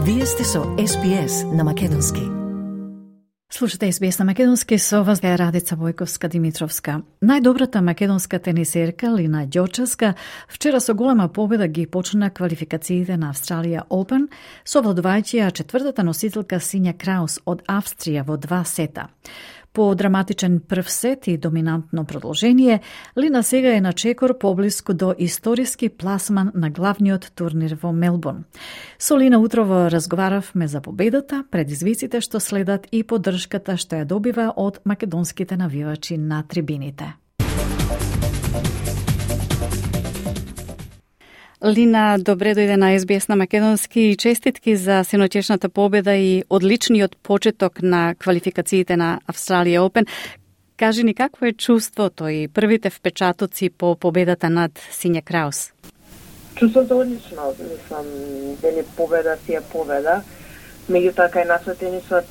Вие сте со SBS на македонски. Слушате SBS на македонски, со вас е Радица Војковска-Димитровска. Најдобрата македонска тенисерка Лина Ѓочевска вчера со голема победа ги почна квалификациите на Австралија Open, совладувајќи ја четвртата носителка Синја Краус од Австрија во 2 сета. По драматичен прв сет и доминантно продолжение, Лина сега е на чекор поблиску до историски пласман на главниот турнир во Мелбурн. Со Лина утрово разговаравме за победата, предизвиците што следат и поддршката што ја добива од македонските навивачи на трибините. Лина, добре дојде на SBS на македонски и честитки за синоќешната победа и одличниот почеток на квалификациите на Австралија Open. Кажи ни какво е чувството и првите впечатоци по победата над Синја Краус? Чувството одлично, мислам, дали победа си е победа. Меѓутоа кај нас тенисот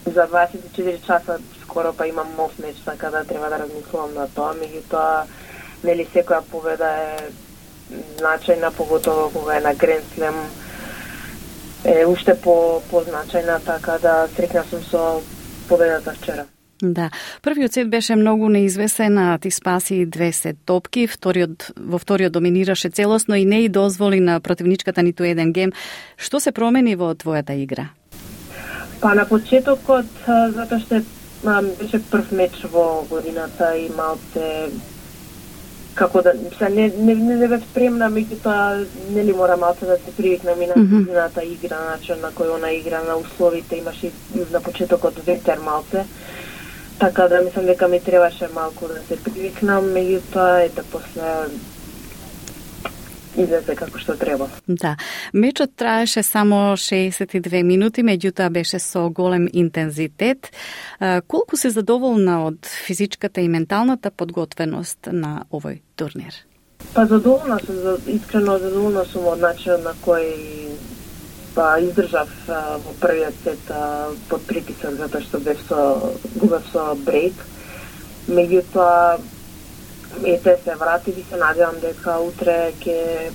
за 24 часа скоро па имам нов меч, така да треба да размислувам на тоа. Меѓутоа, нели секоја победа е значајна, поготово кога е на Гранд Слем, е уште позначајна, така да среќна сум со победата вчера. Да, првиот сет беше многу неизвесен, а ти спаси 2 сет топки, во вториот доминираше целосно и не и дозволи на противничката ниту еден гем. Што се промени во твојата игра? Па на почетокот, затоа што беше прв меч во годината и малце како да не бев спремна, меѓутоа нели мора малце да се привикнам и на незината игра, начин на кој она игра, на условите, имаше на почетокот ветер малце, така да мислам дека ми требаше малку да се привикнам, меѓутоа ете после излезе како што треба. Да, мечот траеше само 62 минути, меѓутоа беше со голем интензитет. Колку си задоволна од физичката и менталната подготвеност на овој турнир? Па задоволна сум, искрено задоволна сум од начинот на кој издржав во првиот сет под притисок, затоа што губев со брейк. Меѓутоа ете се врати и се надевам дека утре ќе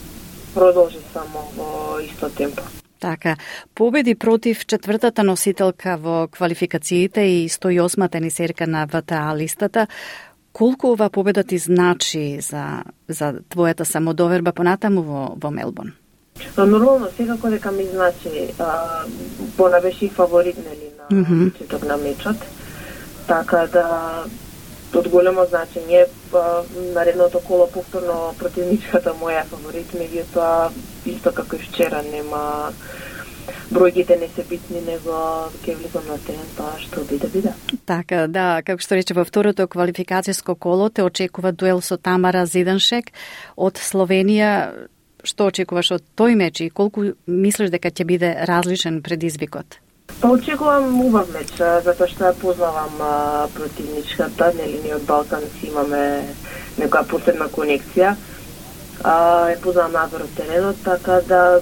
продолжи само во исто темпо. Така, победи против четвртата носителка во квалификациите и 108-та тенисерка на ВТА листата. Колку ова победа ти значи за твојата самодоверба понатаму во Мелбурн? Нормално, секако дека ми значи, Бона беше и фаворит нели на почеток на мечот, така да од големо значење, наредното коло повторно противничката моја фаворит, меѓутоа исто како и вчера нема, бројките не се битни, него ќе влизам на терен, тоа што биде. Така, да, како што рече, во второто квалификацијско коло те очекува дуел со Тамара Зиданшек од Словенија. Што очекуваш од тој меч и колку мислиш дека ќе биде различен предизвикот? Па очекувам убав меч, затоа што ја познавам противничката, нели ние од Балканци имаме некоја посебна конекција. Ја познавам надвор од теренот, така да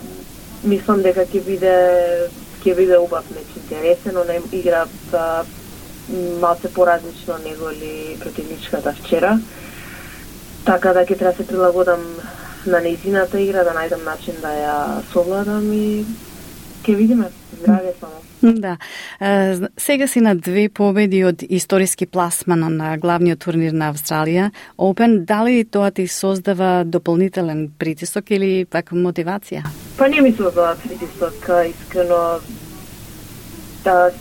мислам дека ќе биде убав меч, интересен, она игра малце поразлично неголи противничката вчера. Така да ќе треба се прилагодам на нејзината игра, да најдам начин да ја совладам и ќе видиме. Здраве само. Да. Сега си на 2 победи од историски пласман на главниот турнир на Австралија Open. Дали тоа ти создава дополнителен притисок или пак мотивација? Па не ми создава притисок, искрено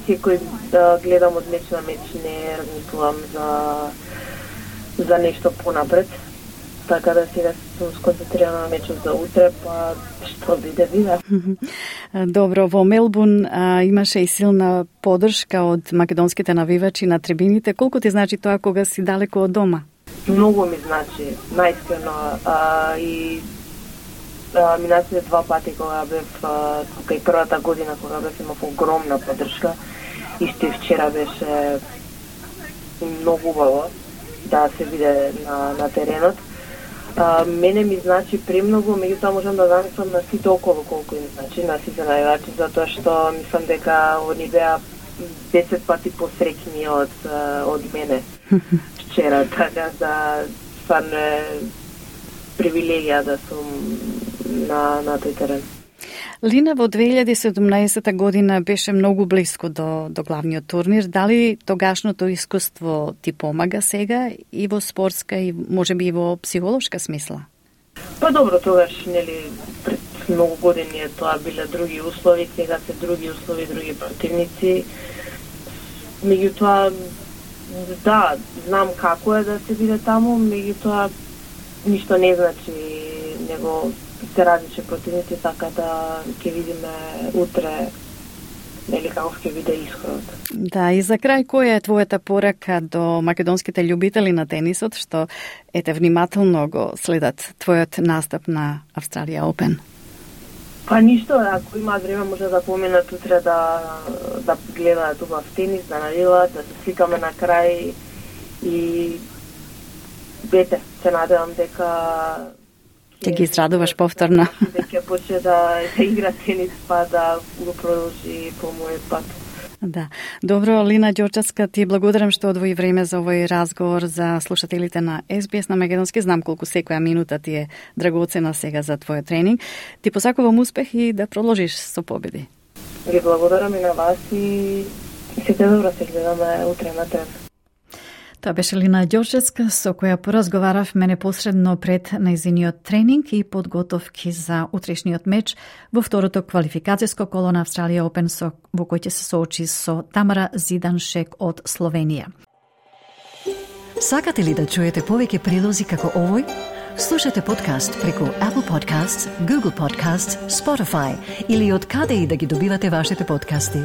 секој гледам од меч на меч, не размислувам за нешто понапред. Така да сега сум сконцентрирана на мечот за утре, па што биде. Добро, во Мелбурн имаше и силна поддршка од македонските навивачи на трибините. Колку ти значи тоа кога си далеко од дома? Многу ми значи, најскрено. И минатите 2 пати кога бев тука и првата година кога бев имав огромна поддршка. Исто и вчера беше многу убаво да се виде на теренот. Мене ми значи премногу, меѓутоа можам да замислам на сите околу колку им значи, на сите највачи, затоа што мислам дека они беа 10 пати посреќни од мене вчера, така да стварно е привилегија да сум на тој терен. Лина, во 2017 година беше многу близко до главниот турнир. Дали тогашното искуство ти помага сега и во спортска и можеби и во психолошка смисла? Па добро, тогаш, пред многу години тоа биле други услови, сега се други услови, други противници. Меѓутоа, да, знам како е да се биде таму, меѓутоа ништо не значи, него се различни противници, така да ќе видиме утре како ќе биде исходот. Да, и за крај, која е твојата порака до македонските љубители на тенисот, што внимателно го следат твојот настап на Австралија Опен? Па ништо, ако има време може да поминат утре да гледаат убав тенис, да навиваат, да се сликаме на крај и се надевам дека ќе ги израдуваш повторно. Дека почне да игра тенис, па да го продолжи по мојот пат. Да. Добро, Лина Ѓорчевска, ти благодарам што одвои време за овој разговор за слушателите на SBS на македонски. Знам колку секоја минута ти е драгоцена сега за твојот тренинг. Ти посакувам успех и да продолжиш со победи. Ви благодарам и на вас и сите добро, се гледаме утре на трен. Тоа беше Лина Ѓорчевска, со која поразговаравме непосредно пред нејзиниот тренинг и подготовки за утрешниот меч во второто квалификацијско коло на Австралија Опен, во кој ќе се соочи со Тамара Зиданшек од Словенија. Сакате ли да чуете повеќе прилози како овој? Слушате подкаст преку Apple Podcasts, Google Podcasts, Spotify или од каде и да ги добивате вашите подкасти.